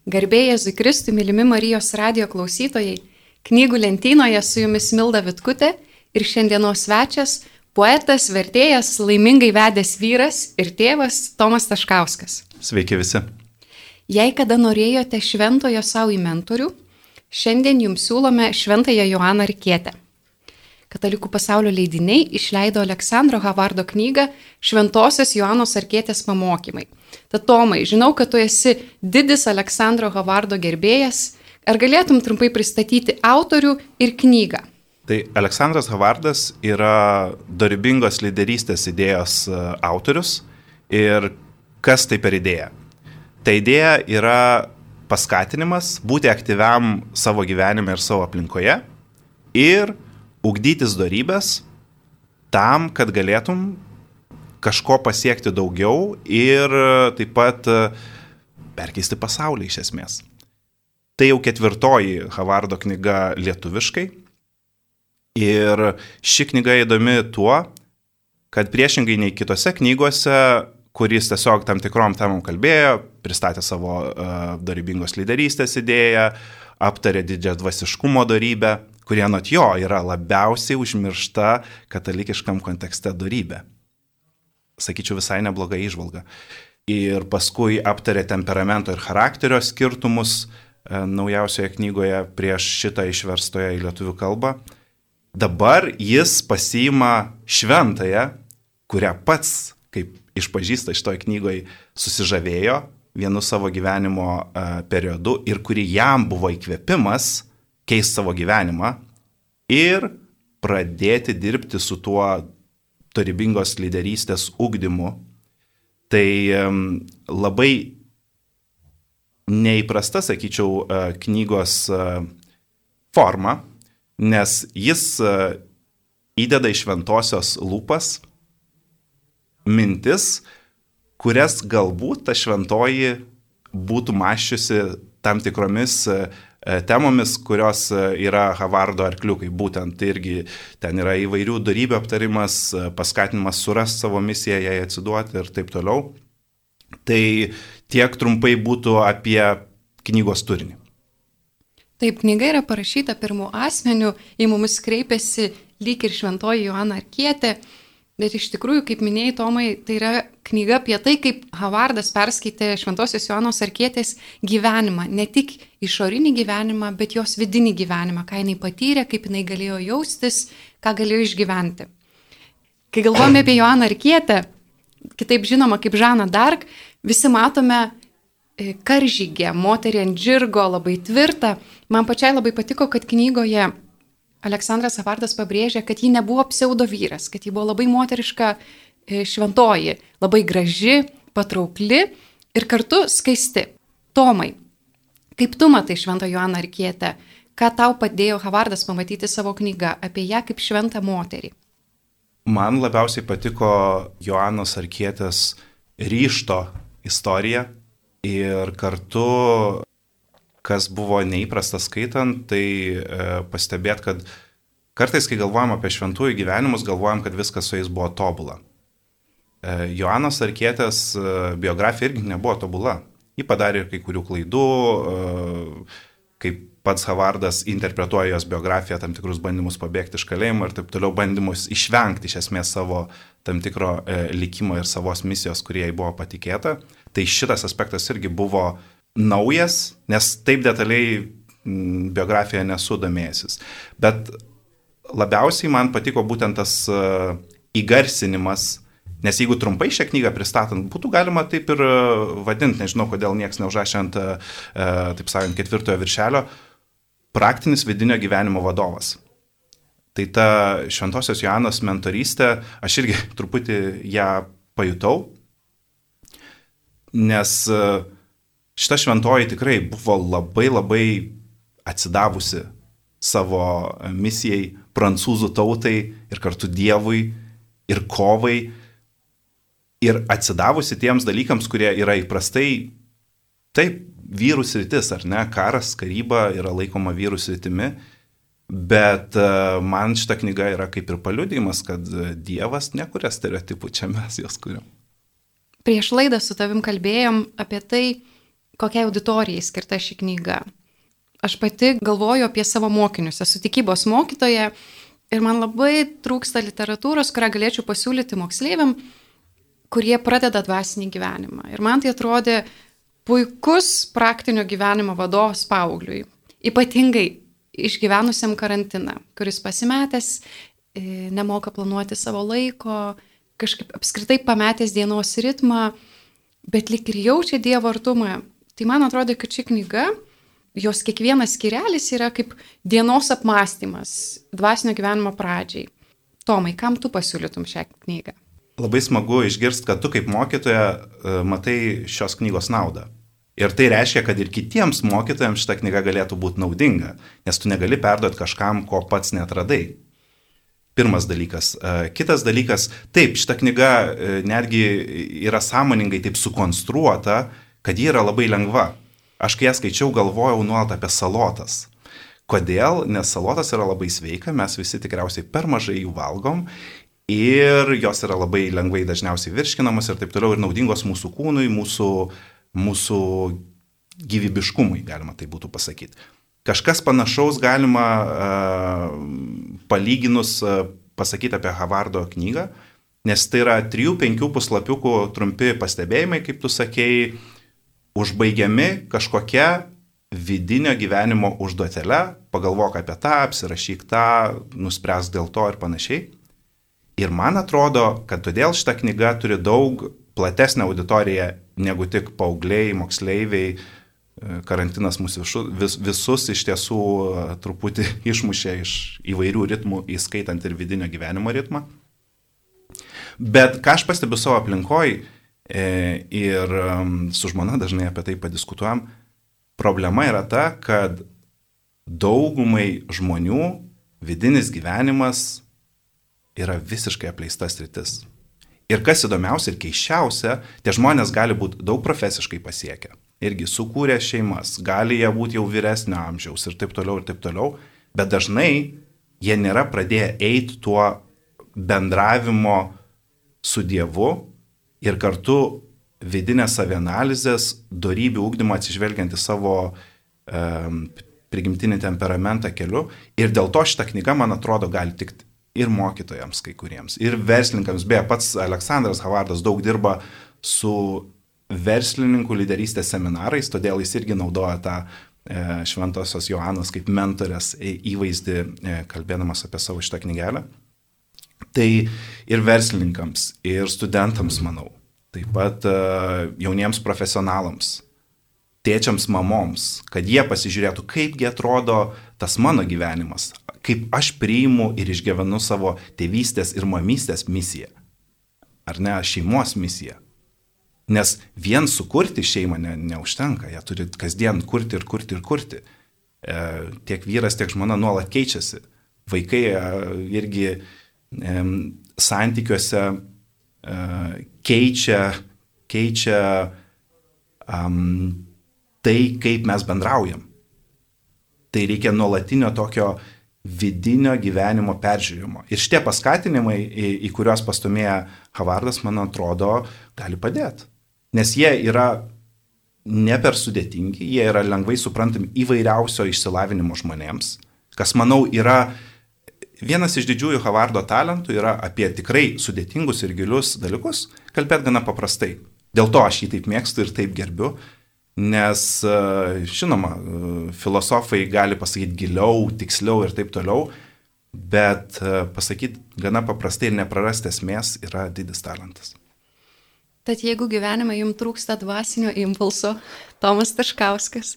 Garbė Jėzui Kristui, mylimi Marijos radijo klausytojai, knygų lentynoje su jumis Milda Vitkutė ir šiandienos svečias, poetas, vertėjas, laimingai vedęs vyras ir tėvas Tomas Taškauskas. Sveiki visi. Jei kada norėjote šventojo savo į mentorių, šiandien jums siūlome Šventąją Joaną Arkietę. Katalikų pasaulio leidiniai išleido Aleksandro Havardo knygą Šventosios Joanos Arkietės pamokymai. Tad Tomai, žinau, kad tu esi didis Aleksandro Havardo gerbėjas. Ar galėtum trumpai pristatyti autorių ir knygą? Tai Aleksandras Havardas yra dorybingos lyderystės idėjos autorius. Ir kas tai per idėja? Ta idėja yra paskatinimas būti aktyviam savo gyvenime ir savo aplinkoje ir ugdytis dorybės tam, kad galėtum kažko pasiekti daugiau ir taip pat perkeisti pasaulį iš esmės. Tai jau 4. Havardo knyga lietuviškai ir ši knyga įdomi tuo, kad priešingai nei kitose knygose, kuris tiesiog tam tikrom temom kalbėjo, pristatė savo dorybingos lyderystės idėją, aptarė didžiadvasiškumo dorybę, kurie anot jo yra labiausiai užmiršta katalikiškam kontekste dorybė. Sakyčiau, visai nebloga įžvalga. Ir paskui aptarė temperamento ir charakterio skirtumus naujausioje knygoje prieš šitą išverstoje į lietuvių kalbą. Dabar jis pasiima šventąją, kurią pats, kaip išpažįsta šitoje knygoje, susižavėjo vienu savo gyvenimo periodu ir kuri jam buvo įkvėpimas keisti savo gyvenimą ir pradėti dirbti su tuo dorybingos lyderystės ugdymu. Tai labai neįprasta, sakyčiau, knygos forma, nes jis įdeda į šventosios lūpas mintis, kurias galbūt ta šventoji būtų mąsčiusi tam tikromis temomis, kurios yra Havardo arkliukai. Būtent irgi ten yra įvairių dorybių aptarimas, paskatinimas surasti savo misiją, jai atsiduoti ir taip toliau. Tai tiek trumpai būtų apie knygos turinį. Taip, knyga yra parašyta pirmu asmeniu, į mumis kreipiasi lyg ir Šventoji Joana Arkietė. Bet iš tikrųjų, kaip minėjai, Tomai, tai yra knyga apie tai, kaip Havardas perskaitė Šventosios Joanos Arkietės gyvenimą. Ne tik išorinį gyvenimą, bet jos vidinį gyvenimą, ką jinai patyrė, kaip jinai galėjo jaustis, ką galėjo išgyventi. Kai galvojame apie Joaną Arkietę, kitaip žinoma kaip Žaną Dark, visi matome karžygę, moterį ant žirgo, labai tvirtą. Man pačiai labai patiko, kad knygoje Aleksandras Havardas pabrėžė, kad ji nebuvo pseudo vyras, kad ji buvo labai moteriška šventoji, labai graži, patraukli ir kartu skaisti. Tomai, kaip tu matai Šventą Joaną Arkietę, ką tau padėjo Havardas pamatyti savo knygą apie ją kaip šventą moterį? Man labiausiai patiko Joanos Arkietės ryžto istorija ir kartu kas buvo neįprasta skaitant, tai pastebėt, kad kartais, kai galvojam apie šventųjų gyvenimus, galvojam, kad viskas su jais buvo tobula. Joanos Arkietės biografija irgi nebuvo tobula. Ji padarė kai kurių klaidų, kaip pats Havardas interpretuoja jos biografiją, tam tikrus bandymus pabėgti iš kalėjimo ir taip toliau bandymus išvengti iš esmės savo tam tikro likimo ir savos misijos, kurie jai buvo patikėta. Tai šitas aspektas irgi buvo naujas, nes taip detaliai biografiją nesu domėjęsis. Bet labiausiai man patiko būtent tas įgarsinimas, nes jeigu trumpai šią knygą pristatant, būtų galima taip ir vadinti, nežinau, kodėl niekas neužrašė ant, taip sakant, 4 viršelio, praktinis vidinio gyvenimo vadovas. Tai ta Šventosios Joanos mentorystė, aš irgi truputį ją pajutau, nes šita šventoji tikrai buvo labai atsidavusi savo misijai, prancūzų tautai ir kartu Dievui ir kovai ir atsidavusi tiems dalykams, kurie yra įprastai, taip, vyrų sritis, ar ne, karas, karyba yra laikoma vyrų sritimi, bet man šita knyga yra kaip ir paliudijimas, kad Dievas nekuria stereotipų, čia mes jos kuriam. Prieš laidą su tavim kalbėjom apie tai, kokiai auditorijai skirta ši knyga. Aš pati galvoju apie savo mokinius, esu tikybos mokytoja ir man labai trūksta literatūros, kurią galėčiau pasiūlyti moksleiviam, kurie pradeda dvasinį gyvenimą. Ir man tai atrodė puikus praktinio gyvenimo vadovas paaugliui, ypatingai išgyvenusiam karantiną, kuris pasimetęs, nemoka planuoti savo laiko, kažkaip apskritai pametęs dienos ritmą, bet lyg ir jaučia Dievo artumą. Tai man atrodo, kad ši knyga, jos kiekvienas skyrelis yra kaip dienos apmąstymas dvasinio gyvenimo pradžiai. Tomai, kam tu pasiūlytum šią knygą? Labai smagu išgirsti, kad tu kaip mokytoja matai šios knygos naudą. Ir tai reiškia, kad ir kitiems mokytojams šita knyga galėtų būti naudinga, nes tu negali perduoti kažkam, ko pats netradai. Pirmas dalykas. Kitas dalykas, taip, šita knyga netgi yra sąmoningai taip sukonstruota, kad ji yra labai lengva. Aš kai ją skaičiau, galvojau nuolat apie salotas. Kodėl? Nes salotas yra labai sveika, mes visi tikriausiai per mažai jų valgom ir jos yra labai lengvai dažniausiai virškinamos ir taip toliau ir naudingos mūsų kūnui, mūsų gyvybiškumui, galima tai būtų pasakyti. Kažkas panašaus galima palyginus pasakyti apie Havardo knygą, nes tai yra 3-5 puslapiukų trumpi pastebėjimai, kaip tu sakėjai, užbaigiami kažkokia vidinio gyvenimo užduotele, pagalvok apie tą, apsirašyk tą, nuspręsk dėl to ir panašiai. Ir man atrodo, kad todėl šita knyga turi daug platesnę auditoriją negu tik paaugliai, moksleiviai. Karantinas mūsų visus iš tiesų truputį išmušė iš įvairių ritmų, įskaitant ir vidinio gyvenimo ritmą. Bet ką aš pastebiu savo aplinkoj ir su žmona dažnai apie tai padiskutuojam, problema yra ta, kad daugumai žmonių vidinis gyvenimas yra visiškai apleista sritis. Ir kas įdomiausia ir keiščiausia, tie žmonės gali būti daug profesiškai pasiekę. Irgi sukūrė šeimas, gali jie būti jau vyresnio amžiaus ir taip toliau, bet dažnai jie nėra pradėję eiti tuo bendravimo su Dievu ir kartu vidinės savianalizės, dorybių ugdymo atsižvelgiant į savo prigimtinį temperamentą keliu. Ir dėl to šita knyga, man atrodo, gali tikti ir mokytojams kai kuriems, ir verslininkams. Beje, pats Aleksandras Havardas daug dirba su verslininkų lyderystės seminarais, todėl jis irgi naudoja tą Šventosios Joanos kaip mentorės įvaizdį, kalbėdamas apie savo šitą knygelę. Tai ir verslininkams, ir studentams, manau, taip pat jauniems profesionalams, tėčiams, mamoms, kad jie pasižiūrėtų, kaipgi atrodo tas mano gyvenimas, kaip aš priimu ir išgyvenu savo tėvystės ir mamystės misiją, ar ne, šeimos misiją. Nes vien sukurti šeimą neužtenka, jie turi kasdien kurti ir kurti ir kurti. Tiek vyras, tiek žmona nuolat keičiasi. Vaikai irgi santykiuose keičia tai, kaip mes bendraujam. Tai reikia nuolatinio tokio vidinio gyvenimo peržiūrimo. Ir šitie paskatinimai, į kuriuos pastumėja Havardas, man atrodo, gali padėti. Nes jie yra ne per sudėtingi, jie yra lengvai suprantami įvairiausio išsilavinimo žmonėms, kas, manau, yra vienas iš didžiųjų Havardo talentų, yra apie tikrai sudėtingus ir gilius dalykus kalbėti gana paprastai. Dėl to aš jį taip mėgstu ir taip gerbiu, nes, žinoma, filosofai gali pasakyti giliau, tiksliau ir taip toliau, bet pasakyti gana paprastai ir neprarasti esmės yra didis talentas. Tad jeigu gyvenime jums trūksta dvasinio impulso, Tomas Taškauskas,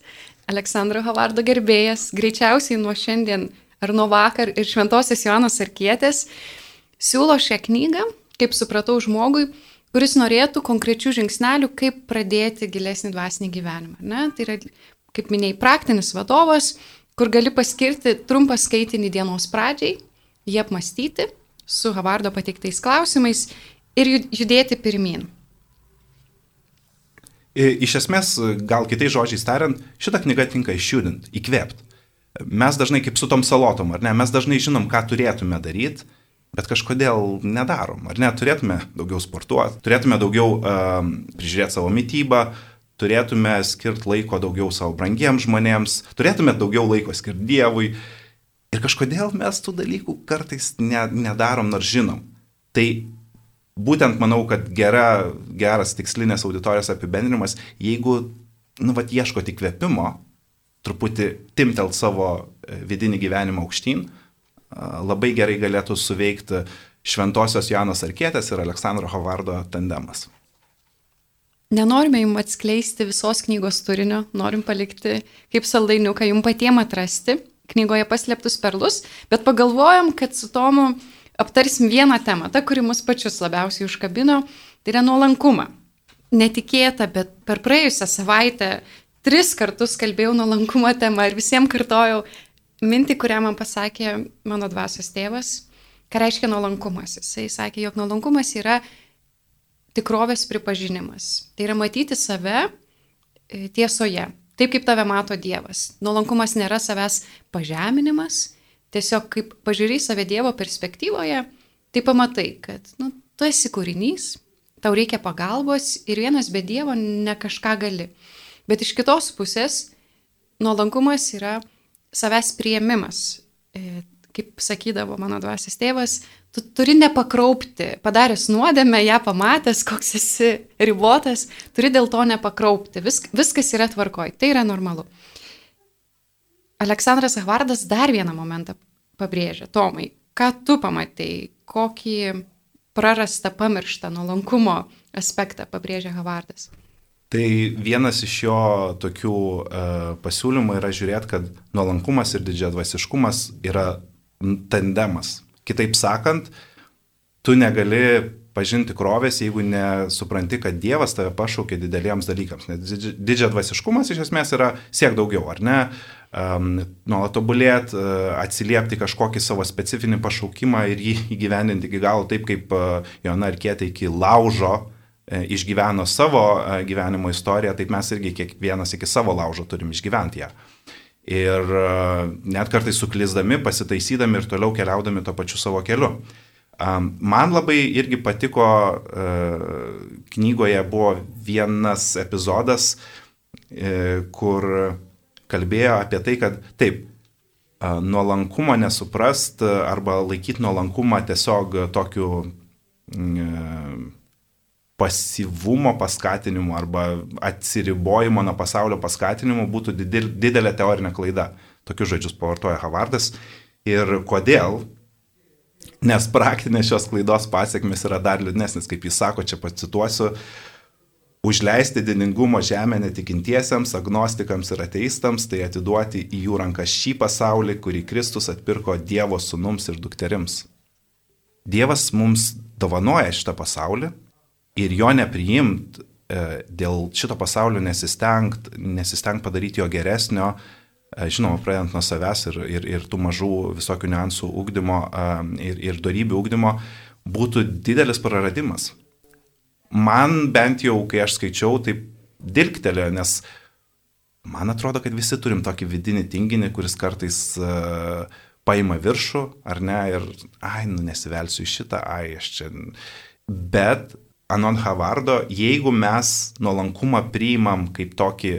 Aleksandro Havardo gerbėjas, greičiausiai nuo šiandien ar nuo vakar ir Šventosios Joanos Arkietės, siūlo šią knygą, kaip supratau, žmogui, kuris norėtų konkrečių žingsnelių, kaip pradėti gilesnį dvasinį gyvenimą. Ne? Tai yra, kaip minėjai, praktinis vadovas, kur gali paskirti trumpą skaitinį dienos pradžiai, jį apmastyti su Havardo pateiktais klausimais ir judėti pirmyn. Iš esmės, gal kitais žodžiais tariant, šitą knygą tinka išjudinti, įkvėpti. Mes dažnai kaip su tom salotom, ar ne, mes dažnai žinom, ką turėtume daryti, bet kažkodėl nedarom, ar ne, turėtume daugiau sportuoti, turėtume daugiau prižiūrėti savo mitybą, turėtume skirti laiko daugiau savo brangiems žmonėms, turėtume daugiau laiko skirti Dievui. Ir kažkodėl mes tų dalykų kartais nedarom, nors žinom. Tai būtent manau, kad geras tikslinės auditorijos apibendrinimas, jeigu, ieškoti įkvėpimo, truputį timtelt savo vidinį gyvenimą aukštyn, labai gerai galėtų suveikti Šventosios Joanos Arkietės ir Aleksandro Hovardo tandemas. Nenorime jums atskleisti visos knygos turinio, norim palikti kaip saldainiuką jums patiem atrasti knygoje paslėptus perlus, bet pagalvojom, kad su Tomu aptarsim vieną temą, ta, kuri mus pačius labiausiai užkabino, tai yra nuolankumą. Netikėta, bet per praėjusią savaitę 3 kartus kalbėjau nuolankumo temą ir visiems kartojau mintį, kurią man pasakė mano dvasios tėvas, ką reiškia nuolankumas. Jisai sakė, jog nuolankumas yra tikrovės pripažinimas. Tai yra matyti save tiesoje, taip kaip tave mato Dievas. Nuolankumas nėra savęs pažeminimas, tiesiog kaip pažiūrėjai save Dievo perspektyvoje, tai pamatai, kad tu esi kūrinys, tau reikia pagalbos ir vienas be Dievo ne kažką gali. Bet iš kitos pusės nuolankumas yra savęs priėmimas. Kaip sakydavo mano dvasios tėvas, tu turi nepakraupti, padaręs nuodėmę, ją pamatęs, koks esi ribotas, turi dėl to nepakraupti. Viskas yra tvarkoj, tai yra normalu. Aleksandras Havardas dar vieną momentą pabrėžia. Tomai, ką tu pamatei, kokį prarastą, pamirštą nuolankumo aspektą pabrėžia Havardas? Tai vienas iš jo tokių pasiūlymų yra žiūrėti, kad nuolankumas ir didžiadvasiškumas yra tandemas. Kitaip sakant, tu negali pažinti tikrovės, jeigu nesupranti, kad Dievas tave pašaukė dideliems dalykams. Nes didžiadvasiškumas iš esmės yra siek daugiau, ar ne? Nuolat tobulėti, atsiliepti kažkokį savo specifinį pašaukimą ir jį įgyvendinti iki galo, taip kaip Joana Arkietė iki laužo išgyveno savo gyvenimo istoriją, taip mes irgi kiekvienas iki savo laužo turim išgyventi ją. Ir net kartais suklysdami, pasitaisydami ir toliau keliaudami to pačiu savo keliu. Man labai irgi patiko, knygoje buvo vienas epizodas, kur kalbėjo apie tai, kad taip, nuolankumo nesuprast arba laikyti nuolankumą tiesiog tokiu pasyvumo paskatinimu arba atsiribojimo nuo pasaulio paskatinimu būtų didelė teorinė klaida. Tokius žodžius pavartoja Havardas. Ir kodėl? Nes praktinės šios klaidos pasiekmes yra dar liūdnesnis, kaip jis sako, čia pacituosiu, užleisti didingumo žemę netikintiesiems, agnostikams ir ateistams, tai atiduoti į jų rankas šį pasaulį, kurį Kristus atpirko Dievo sūnums ir dukterims. Dievas mums dovanoja šitą pasaulį, ir jo nepriimt, dėl šito pasaulio nesistengt padaryti jo geresnio, žinoma, pradedant nuo savęs ir tų mažų visokių niuansų ugdymo ir dorybių ugdymo, būtų didelis praradimas. Man bent jau, kai aš skaičiau, taip dilgtelėjo, nes man atrodo, kad visi turim tokį vidinį tinginį, kuris kartais paima viršų, ar ne, ir nesivelsiu į šitą, aš čia. Bet anot Havardo, jeigu mes nuolankumą priimam kaip tokį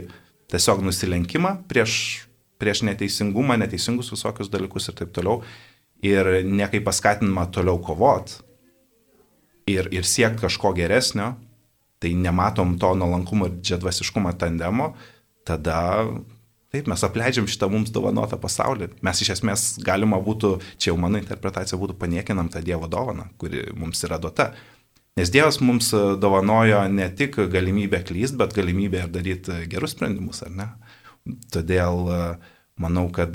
tiesiog nusilenkimą prieš neteisingumą, neteisingus visokius dalykus ir taip toliau, ir ne kaip paskatinimą toliau kovot ir siekti kažko geresnio, tai nematom to nuolankumo ir didžiadvasiškumo tandemo, tada taip mes apleidžiam šitą mums dovanotą pasaulį. Mes iš esmės galima būtų, čia jau mano interpretacija būtų, paniekinam tą Dievo dovaną, kuri mums yra duota. Nes Dievas mums dovanojo ne tik galimybę klyst, bet galimybę ir daryti gerus sprendimus, ar ne? Todėl manau, kad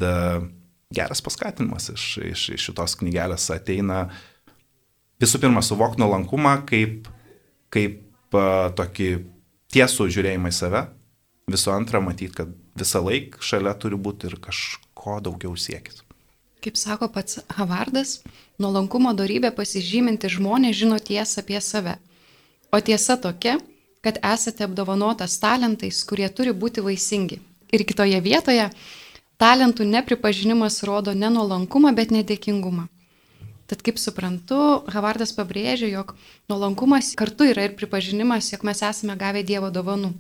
geras paskatinimas iš šitos knygelės ateina visų pirma suvokti nuolankumą kaip tokį tiesų žiūrėjimą į save, visų antra matyti, kad visą laiką šalia turi būti ir kažko daugiau siekis. Kaip sako pats Havardas, nuolankumo dorybė pasižyminti žmonės žino tiesą apie save. O tiesa tokia, kad esate apdovanotas talentais, kurie turi būti vaisingi. Ir kitoje vietoje talentų nepripažinimas rodo ne nuolankumą, bet nedėkingumą. Tad kaip suprantu, Havardas pabrėžia, jog nuolankumas kartu yra ir pripažinimas, jog mes esame gavę Dievo dovanų.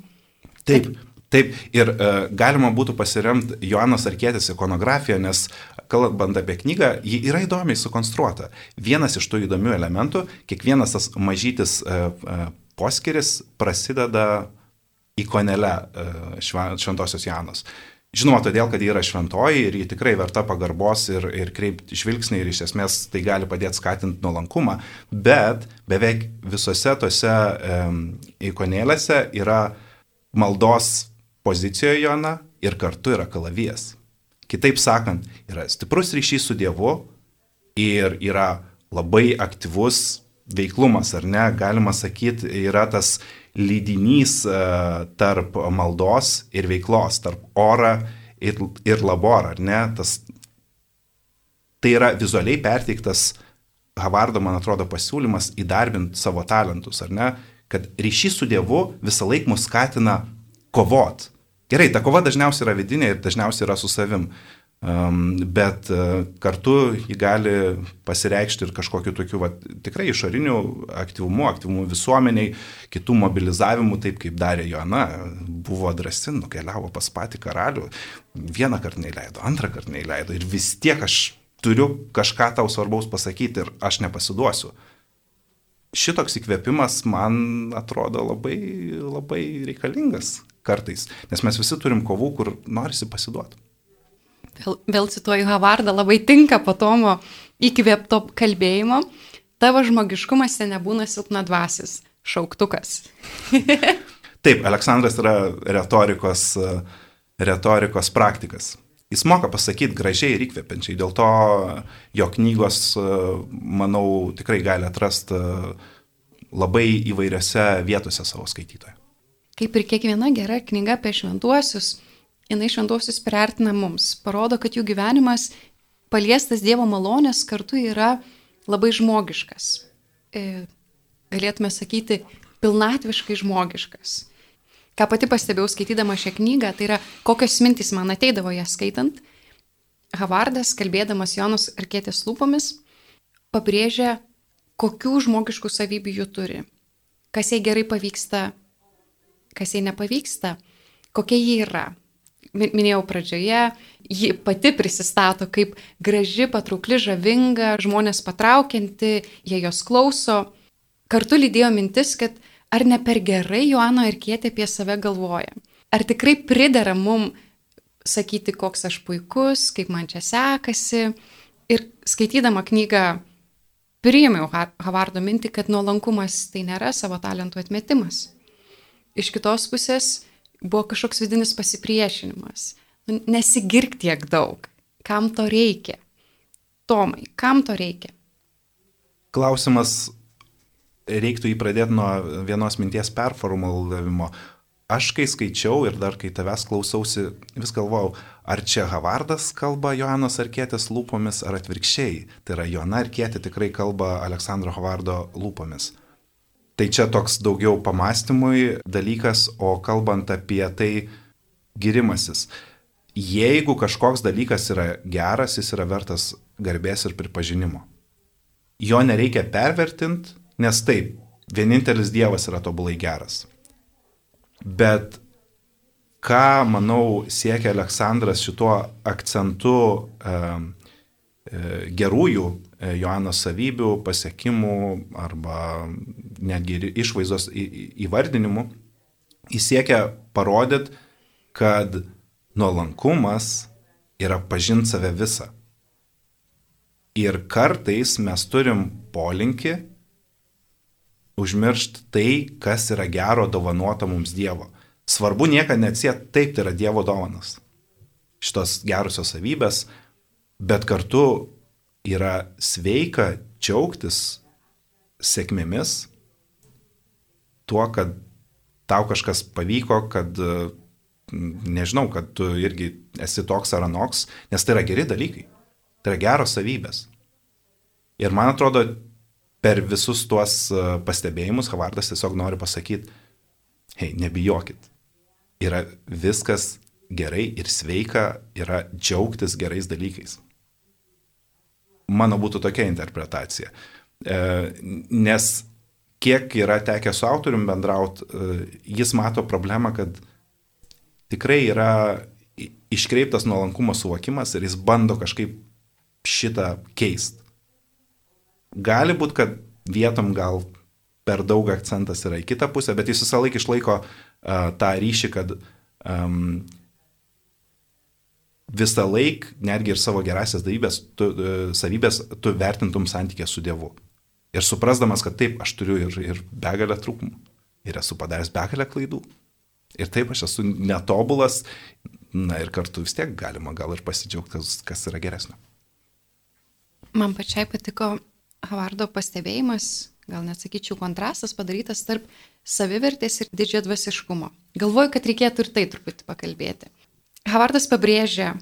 Taip. Ir galima būtų pasiremti Joanos Arkietės ikonografiją, nes kalbant apie knygą, ji yra įdomiai sukonstruota. Vienas iš tų įdomių elementų, kiekvienas tas mažytis poskyris prasideda ikonele šventosios Joanos. Žinoma, todėl, kad ji yra šventoji ir ji tikrai verta pagarbos ir kreipti žvilgsnį ir iš esmės tai gali padėti skatinti nuolankumą, bet beveik visose tose ikonėlėse yra maldos pozicijoje Joana ir kartu yra kalavijas. Kitaip sakant, yra stiprus ryšys su Dievu ir yra labai aktyvus veiklumas, ar ne, galima sakyti, yra tas lydinys tarp maldos ir veiklos, tarp ora ir labor, ar ne, tai yra vizualiai perteiktas Havardo, man atrodo, pasiūlymas įdarbinti savo talentus, ar ne, kad ryšys su Dievu visą laiką mus skatina kovot. Gerai, ta kova dažniausiai yra vidinė ir dažniausiai yra su savim, bet kartu ji gali pasireikšti ir kažkokiu tokiu tikrai išoriniu aktyvumu visuomeniai, kitų mobilizavimu, taip kaip darė Joana, buvo drąsi, nukeliavo pas patį karalių, vieną kartą neįleido, antrą kartą neįleido ir vis tiek aš turiu kažką tau svarbaus pasakyti ir aš nepasiduosiu. Šitoks įkvėpimas man atrodo labai, labai reikalingas kartais, nes mes visi turim kovų, kur norisi pasiduoti. Vėl cituoju Havardą, labai tinka po Tomo įkvėpto kalbėjimo. Tavo žmogiškumose nebūna silpnadvasis, šauktukas. Taip, Aleksandras yra retorikos praktikas. Jis moka pasakyti gražiai ir įkvepiančiai, dėl to jo knygos, manau, tikrai gali atrasti labai įvairiose vietose savo skaitytoje. Kaip ir kiekviena gera knyga apie šventuosius, jinai šventuosius priartina mums, parodo, kad jų gyvenimas paliestas Dievo malonės kartu yra labai žmogiškas. Galėtume sakyti, pilnatviškai žmogiškas. Ką pati pastebėjau skaitydama šią knygą, tai yra kokios mintys man ateidavo ją skaitant. Havardas, kalbėdamas Joanos Arkietės lūpomis, pabrėžia, kokių žmogiškų savybių jų turi. Kas jai gerai pavyksta, kas jai nepavyksta, kokia ji yra. Minėjau pradžioje, ji pati prisistato kaip graži, patraukli, žavinga, žmonės patraukianti, jie jos klauso. Kartu lydėjo mintis, kad ar ne per gerai Joana Arkietė apie save galvoja. Ar tikrai pridera mum sakyti, koks aš puikus, kaip man čia sekasi. Ir skaitydama knygą priėmiau Havardo mintį, kad nuolankumas tai nėra savo talentų atmetimas. Iš kitos pusės buvo kažkoks vidinis pasipriešinimas. Nesigirk tiek daug. Kam to reikia? Tomai, kam to reikia? Klausimas, reiktų jį pradėti nuo vienos minties performulavimo. Aš kai skaičiau ir dar kai tavęs klausausi, vis galvojau, ar čia Havardas kalba Joanos Arkietės lūpomis, ar atvirkščiai. Tai yra, Joana Arkietė tikrai kalba Aleksandro Havardo lūpomis. Tai čia toks daugiau pamastymui dalykas, o kalbant apie tai girimasis. Jeigu kažkoks dalykas yra geras, jis yra vertas garbės ir pripažinimo. Jo nereikia pervertinti, nes taip, vienintelis Dievas yra tobulai geras. Bet ką, manau, siekia Aleksandras šituo akcentu gerųjų Joanos savybių, pasiekimų arba netgi išvaizdos įvardinimų, jis siekia parodyti, kad nuolankumas yra pažinti save visą. Ir kartais mes turim polinkį užmiršti tai, kas yra gero dovanota mums Dievo. Svarbu niekada neatsieti, taip, tai yra Dievo dovanas. Šitos gerusios savybės, bet kartu yra sveika džiaugtis sėkmėmis, tuo, kad tau kažkas pavyko, kad, nežinau, kad tu irgi esi toks ar anoks, nes tai yra geri dalykai, tai yra geros savybės. Ir man atrodo, per visus tuos pastebėjimus Havardas tiesiog nori pasakyti, hei, nebijokit, yra viskas gerai ir sveika, yra džiaugtis gerais dalykais. Mano būtų tokia interpretacija. Nes kiek yra tekę su autorium bendrauti, jis mato problemą, kad tikrai yra iškreiptas nuolankumo suvokimas ir jis bando kažkaip šitą keist. Gali būti, kad vietom gal per daug akcentas yra į kitą pusę, bet jis visą laiką išlaiko tą ryšį, kad visą laiką, netgi ir savo gerasias savybės, tu vertintum santykę su Dievu. Ir suprasdamas, kad taip, aš turiu ir begalę trūkumų, ir esu padaręs begalę klaidų. Ir taip, aš esu netobulas, na ir kartu vis tiek galima gal ir pasidžiaugti, kas yra geresnio. Man pačiai patiko Havardo pastebėjimas, gal net sakyčiau kontrastas padarytas tarp savivertės ir didžiadvasiškumo. Galvoju, kad reikėtų ir tai truputį pakalbėti. Havardas pabrėžia,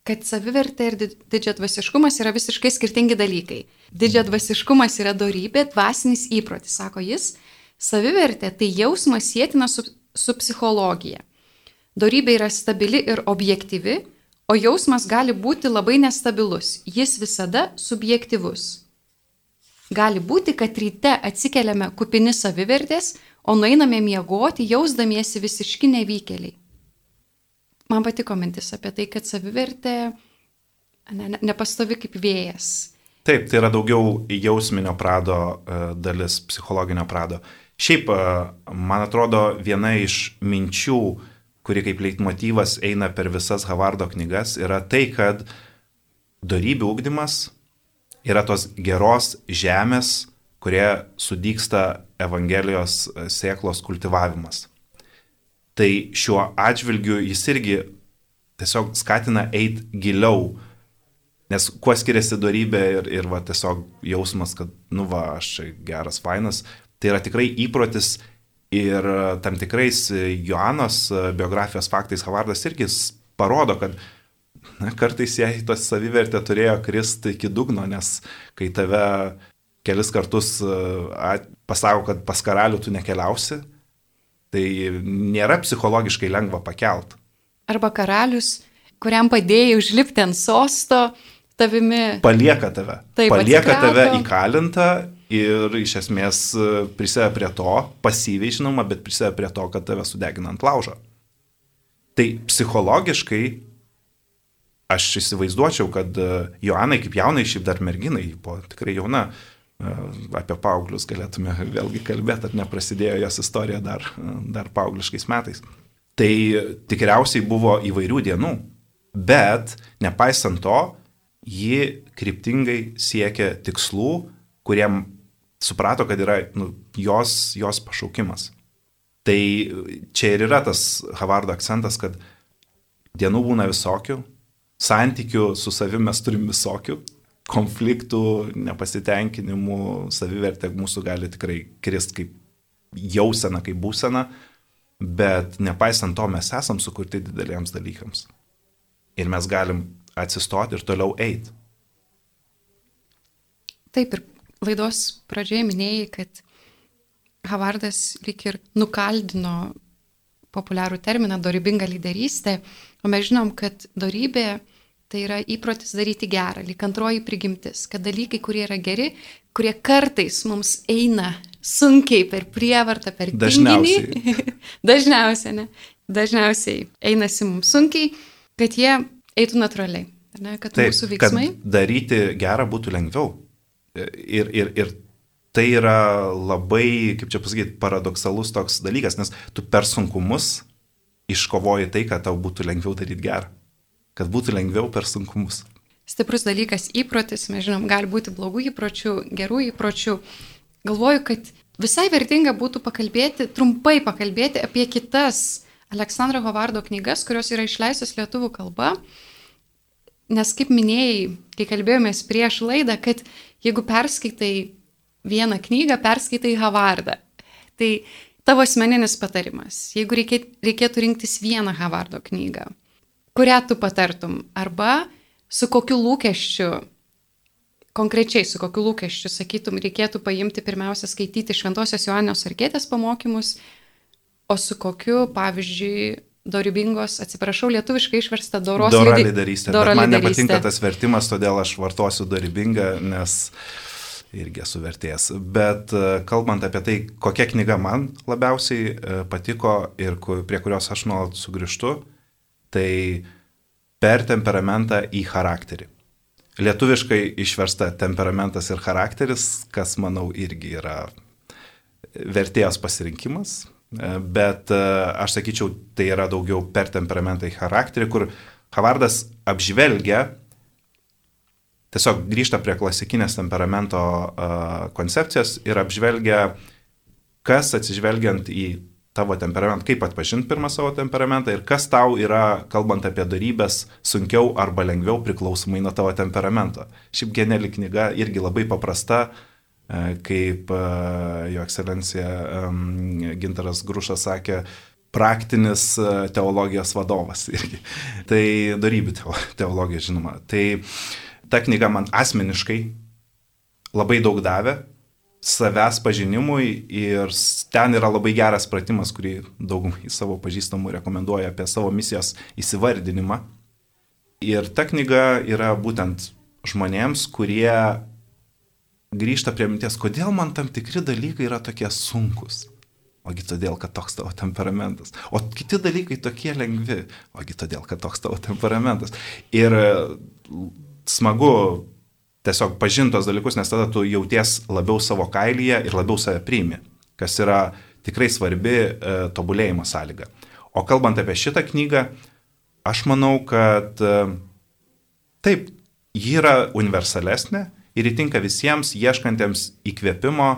kad savivertė ir didžiadvasiškumas yra visiškai skirtingi dalykai. Didžiadvasiškumas yra dorybė, dvasinis įprotis, sako jis. Savivertė tai jausmas sietina su psichologija. Dorybė yra stabili ir objektyvi, o jausmas gali būti labai nestabilus. Jis visada subjektyvus. Gali būti, kad ryte atsikeliame kupini savivertės, o nueiname miegoti, jausdamiesi visiški nevykėliai. Man patiko mintis apie tai, kad savivertė nepastovi kaip vėjas. Taip, tai yra daugiau jausminio prado dalis, psichologinio prado. Šiaip, man atrodo, viena iš minčių, kuri kaip leitmotyvas eina per visas Havardo knygas, yra tai, kad dorybių ugdymas yra tos geros žemės, kurie sudygsta Evangelijos sėklos kultivavimas. Tai šiuo atžvilgiu jis irgi tiesiog skatina eiti giliau, nes kuo skiriasi dorybė ir va, tiesiog jausmas, kad, aš geras, fainas, tai yra tikrai įprotis ir tam tikrais Joanos biografijos faktais Havardas irgi parodo, kad kartais jai tos savivertė turėjo kristi iki dugno, nes kai tave kelis kartus pasako, kad pas karalių tu nekeliausi, tai nėra psichologiškai lengva pakelt. Arba karalius, kuriam padėjai užlipti ant sosto, tavimi palieka tave. Taip, palieka tave įkalintą ir iš esmės prisideda prie to, pasyviai žinoma, bet prisideda prie to, kad tave sudegina ant laužo. Tai psichologiškai aš įsivaizduočiau, kad Joanai kaip jaunai, šiaip dar merginai, buvo tikrai jauna, apie paauglius galėtume vėlgi kalbėti, ar neprasidėjo jos istorija dar paaugliškais metais. Tai tikriausiai buvo įvairių dienų, bet nepaisant to, ji kryptingai siekė tikslų, kuriem suprato, kad yra jos pašaukimas. Tai čia ir yra tas Havardo akcentas, kad dienų būna visokių, santykių su savimi mes turim visokių, konfliktų, nepasitenkinimų, savivertė mūsų gali tikrai kristi kaip jausena, kaip būsena, bet nepaisant to mes esam sukurti dideliems dalykams. Ir mes galim atsistoti ir toliau eiti. Taip, ir laidos pradžioje minėjai, kad Havardas lyg ir nukaldino populiarų terminą dorybinga lyderystė, o mes žinom, kad dorybė tai yra įprotis daryti gerą, lyg antroji prigimtis, kad dalykai, kurie yra geri, kurie kartais mums eina sunkiai per prievartą, per tinginį, dažniausiai einasi mums sunkiai, kad jie eitų natūraliai, ne? Kad taip, mūsų veiksmai. Kad daryti gerą būtų lengviau. Ir tai yra labai, kaip čia pasakyti, paradoksalus toks dalykas, nes tu per sunkumus iškovoji tai, kad tau būtų lengviau daryti gerą. Kad būtų lengviau per sunkumus. Stiprus dalykas įprotis, mes žinom, gali būti blogų įpročių, gerų įpročių. Galvoju, kad visai vertinga būtų trumpai pakalbėti apie kitas Aleksandro Havardo knygas, kurios yra išleistos lietuvių kalba. Nes kaip minėjai, kai kalbėjomės prieš laidą, kad jeigu perskaitai vieną knygą, perskaitai Havardą. Tai tavo asmeninis patarimas, jeigu reikėtų rinktis vieną Havardo knygą, kurią tu patartum, arba su kokiu lūkesčiu, konkrečiai su kokiu lūkesčiu, sakytum, reikėtų paimti pirmiausia skaityti Šventosios Joanos Arkietės pamokymus, o su kokiu, pavyzdžiui, dorybingos, atsiprašau, lietuviškai išversta Dora lyderystė. Bet man nepatinka tas vertimas, todėl aš vartosiu dorybingą, nes irgi esu vertėjas. Bet kalbant apie tai, kokia knyga man labiausiai patiko ir prie kurios aš nuolat sugrįžtu, tai per temperamentą į charakterį. Lietuviškai išversta temperamentas ir charakteris, kas, manau, irgi yra vertėjos pasirinkimas. Bet aš sakyčiau, tai yra daugiau per temperamentą į charakterį, kur Havardas apžvelgia, tiesiog grįžta prie klasikinės temperamento koncepcijos ir apžvelgia, kas atsižvelgiant į tavo temperamentą, kaip atpažinti pirmą savo temperamentą ir kas tau yra, kalbant apie darybės, sunkiau arba lengviau priklausomai nuo tavo temperamento. Šiaip geniali knyga, irgi labai paprasta, kaip jo ekscelencija Gintaras Grušas sakė, praktinis teologijos vadovas irgi. Tai darybių teologija, žinoma. Tai ta knyga man asmeniškai labai daug davė savęs pažinimui ir ten yra labai geras pratimas, kurį daugumai savo pažįstamų rekomenduoja apie savo misijos įsivardinimą. Ir ta knyga yra būtent žmonėms, kurie grįžta prie minties, kodėl man tam tikri dalykai yra tokie sunkus. Ogi todėl, kad toks tavo temperamentas. O kiti dalykai tokie lengvi. Ogi todėl, kad toks tavo temperamentas. Ir smagu tiesiog pažintos dalykus, nes tada tu jauties labiau savo kailyje ir labiau save priimi, kas yra tikrai svarbi tobulėjimo sąlyga. O kalbant apie šitą knygą, aš manau, kad taip, ji yra universalesnė ir įtinka visiems ieškantiems įkvėpimo,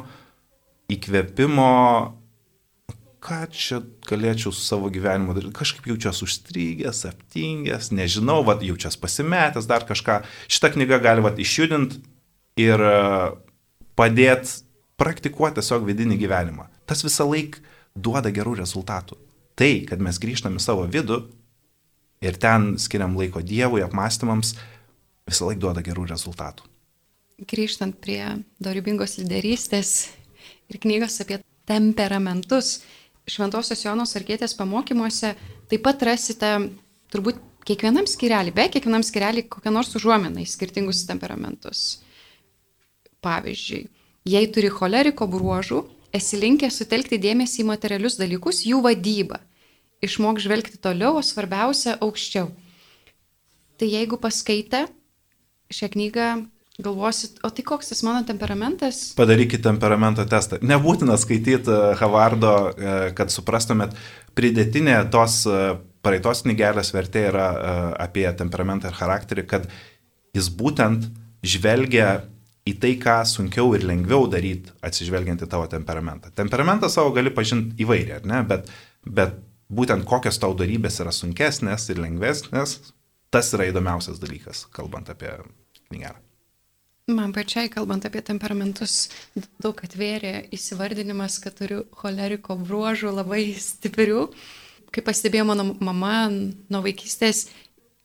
ką čia galėčiau su savo gyvenimu daryti, kažkaip jaučiuosi užstrygęs, aptingęs, nežinau, jaučiuosi pasimetęs, dar kažką. Šitą knygą gali išjudinti ir padėti praktikuoti tiesiog vidinį gyvenimą. Tas visą laik duoda gerų rezultatų. Tai, kad mes grįžtame į savo vidų ir ten skiriam laiko Dievui, apmąstymams, visą laik duoda gerų rezultatų. Grįžtant prie dorybingos lyderystės ir knygos apie temperamentus, Šventosios Joanos Arkietės pamokymuose taip pat rasite turbūt kiekvienam skyrelį kokią nors užuominą į skirtingus temperamentus. Pavyzdžiui, jei turi choleriko bruožų, esi linkęs sutelkti dėmesį į materialius dalykus, jų vadybą. Išmok žvelgti toliau, o svarbiausia aukščiau. Tai jeigu paskaitę šią knygą, galvosit, o tai koks tas mano temperamentas? Padarykit temperamento testą. Nebūtina skaityti Havardo, kad suprastumėt, pridėtinė tos praeitos knygelės vertė yra apie temperamentą ir charakterį, kad jis būtent žvelgia į tai, ką sunkiau ir lengviau daryti, atsižvelgiant į tavo temperamentą. Temperamentą savo gali pažinti įvairiai, ar ne? Bet būtent kokios tau darybės yra sunkesnės ir lengvesnės, tas yra įdomiausias dalykas, kalbant apie knygelę. Man pačiai, kalbant apie temperamentus, daug atvėrė įsivardinimas, kad turiu choleriko bruožų labai stiprių. Kaip pastebėjo mano mama, nuo vaikystės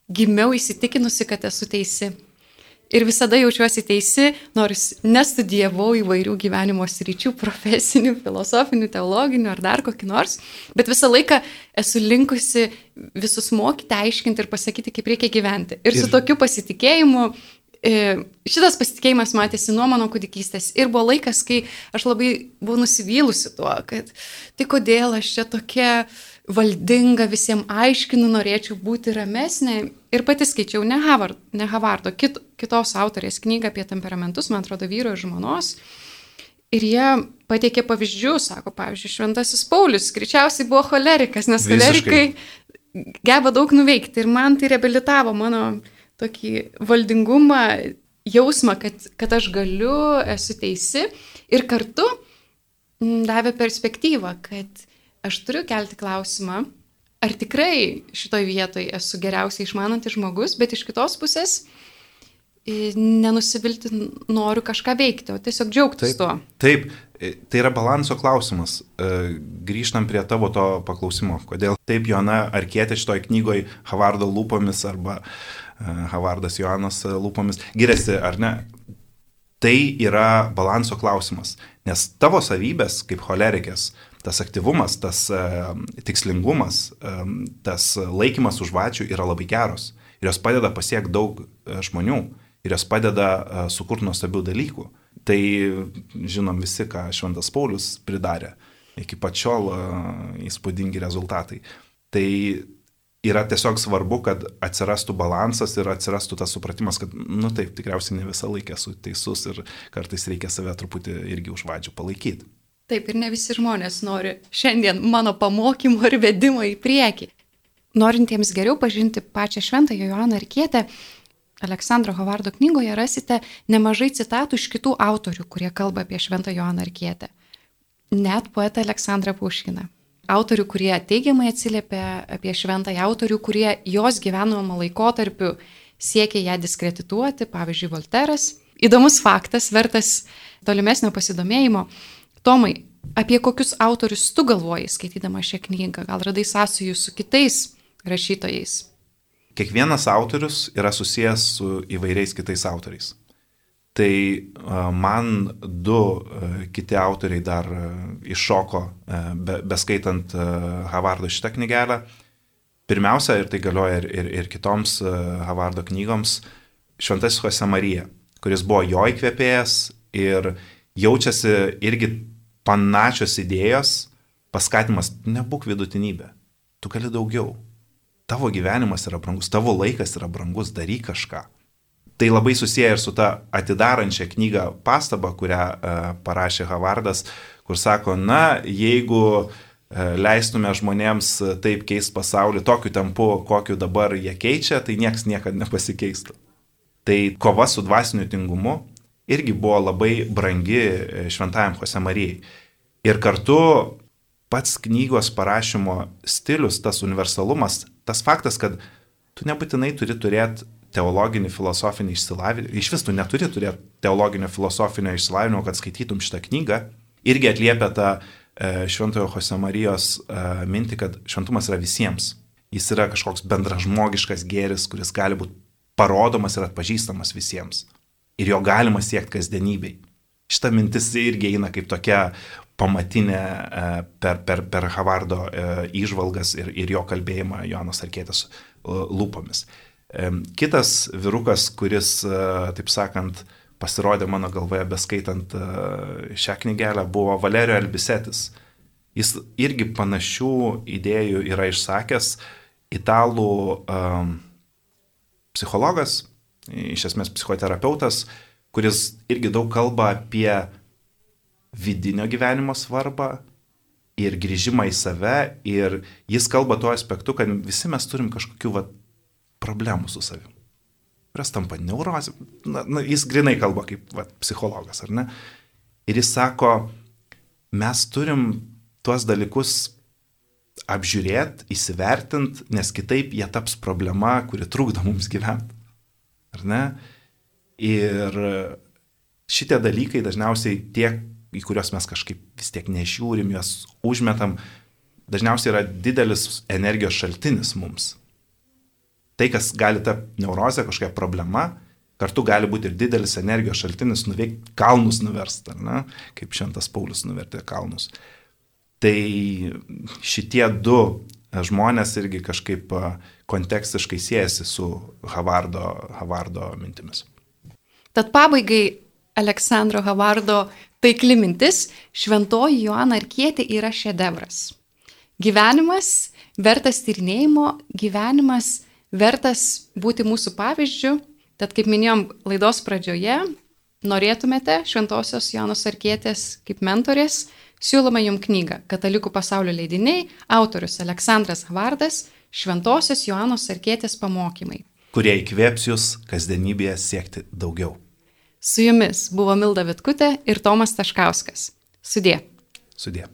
gimiau įsitikinusi, kad esu teisi. Ir visada jaučiuosi teisi, nors nestudijavau įvairių gyvenimo sričių, profesinių, filosofinių, teologinių ar dar kokį nors, bet visą laiką esu linkusi visus mokyti, aiškinti ir pasakyti, kaip reikia gyventi. Ir su tokiu pasitikėjimu, šitas pasitikėjimas matėsi nuo mano kūdikystės ir buvo laikas, kai aš labai buvau nusivylusi tuo, kad tai kodėl aš čia tokia valdinga, visiems aiškinu, norėčiau būti ramesnė. Ir pati skaičiau ne Havardo, kitos autorės knygą apie temperamentus, man atrodo, vyro ir žmonos. Ir jie pateikė pavyzdžių, sako, pavyzdžiui, Šventasis Paulius greičiausiai buvo cholerikas, nes cholerikai geba daug nuveikti. Ir man tai reabilitavo mano tokį valdingumą, jausmą, kad aš galiu, esu teisi. Ir kartu davė perspektyvą, kad aš turiu kelti klausimą, ar tikrai šitoj vietoj esu geriausiai išmanantis žmogus, bet iš kitos pusės nenusivilti noriu kažką veikti, o tiesiog džiaugtis tuo. Taip, tai yra balanso klausimas. Grįžtam prie tavo to paklausimo. Kodėl taip Joana Arkietė šitoj knygoj Havardo lūpomis arba Havardas Joanos lūpomis giriasi, ar ne? Tai yra balanso klausimas. Nes tavo savybės kaip cholerikės, tas aktyvumas, tas tikslingumas, tas laikymas už vačių yra labai geros. Ir jos padeda pasiekti daug žmonių. Ir jos padeda sukurti nuostabių dalykų. Tai žinom visi, ką Šventas Paulius pridarė. Iki pačiol įspūdingi rezultatai. Tai yra tiesiog svarbu, kad atsirastų balansas ir atsirastų tas supratimas, kad, taip, tikriausiai ne visą laiką esu teisus ir kartais reikia save truputį irgi už vadžių palaikyti. Taip, ir ne visi žmonės nori šiandien mano pamokymo ir vedimo į priekį. Norintiems geriau pažinti pačią Šventąją Joaną Arkietę, Aleksandro Havardo knygoje rasite nemažai citatų iš kitų autorių, kurie kalba apie Šventąją Joaną Arkietę. Net poetą Aleksandrą Puškiną. Autorių, kurie teigiamai atsiliepia apie Šventąją, autorių, kurie jos gyvenimo laikotarpiu siekia ją diskredituoti, pavyzdžiui, Volteras. Įdomus faktas, vertas tolimesnio pasidomėjimo. Tomai, apie kokius autorius tu galvoji, skaitydama šią knygą? Gal radai sąsajų su kitais rašytojais? Kiekvienas autorius yra susijęs su įvairiais kitais autoriais. Tai man du kiti autoriai dar iššoko, beskaitant Havardo šitą knygelę. Pirmiausia, ir tai galioja ir kitoms Havardo knygoms, Šventasis Josemarija, kuris buvo jo įkvėpėjas ir jaučiasi irgi panašios idėjos, paskatimas, nebūk vidutinybė, tu gali daugiau. Tavo gyvenimas yra brangus, tavo laikas yra brangus, daryk kažką. Tai labai susiję ir su ta atidarančia knygą pastabą, kurią parašė Havardas, kur sako, jeigu leistume žmonėms taip keist pasaulį tokiu tempu, kokiu dabar jie keičia, tai nieks niekada nepasikeistų. Tai kova su dvasiniu tingumu irgi buvo labai brangi Šventajam Josemarijai. Ir kartu pats knygos parašymo stilius, tas universalumas, tas faktas, kad tu nebūtinai turi turėti teologinį, filosofinį išsilavinimą, iš vis tu neturi turėti teologinio filosofinio išsilavinimo, kad skaitytum šitą knygą, irgi atliepia tą Šventojo Josemarijos mintį, kad šventumas yra visiems. Jis yra kažkoks bendražmogiškas gėris, kuris gali būti parodomas ir atpažįstamas visiems. Ir jo galima siekti kasdienybei. Šita mintis irgi eina kaip tokia pamatinė per Havardo įžvalgas ir jo kalbėjimą Joanos Arkietės lūpomis. Kitas vyrukas, kuris, taip sakant, pasirodė mano galvoje beskaitant šią knygelę, buvo Valerio Albisetis. Jis irgi panašių idėjų yra išsakęs, italų psichologas, iš esmės psichoterapeutas, kuris irgi daug kalba apie vidinio gyvenimo svarbą ir grįžimą į save, ir jis kalba tuo aspektu, kad visi mes turim kažkokių problemų su savim. Kurios tampa neurozė. Jis grinai kalba kaip psichologas, ar ne? Ir jis sako, mes turim tuos dalykus apžiūrėti, įsivertinti, nes kitaip jie taps problema, kuri trukdo mums gyventi. Ar ne? Ir šitie dalykai dažniausiai tie, į kuriuos mes kažkaip vis tiek nežiūrim, juos užmetam, dažniausiai yra didelis energijos šaltinis mums. Tai, kas gali tapti neurozė, kažkokia problema, kartu gali būti ir didelis energijos šaltinis nuveikti kalnus nuverst, ar ne? Kaip Šventas Paulius nuvertė kalnus. Tai šitie du žmonės irgi kažkaip kontekstiškai siejasi su Havardo mintimis. Tad pabaigai Aleksandro Havardo taikli mintis, Šventoji Joana Arkietė yra šedevras. Gyvenimas vertas tyrinėjimo, gyvenimas vertas būti mūsų pavyzdžiu, tad kaip minėjom laidos pradžioje, norėtumėte Šventosios Joanos Arkietės kaip mentorės, siūlome jums knygą Katalikų pasaulio leidiniai, autorius Aleksandras Havardas, Šventosios Joanos Arkietės pamokymai, kurie įkvėps jūs kasdienybėje siekti daugiau. Su jumis buvo Milda Vitkutė ir Tomas Taškauskas. Sudie. Sudie.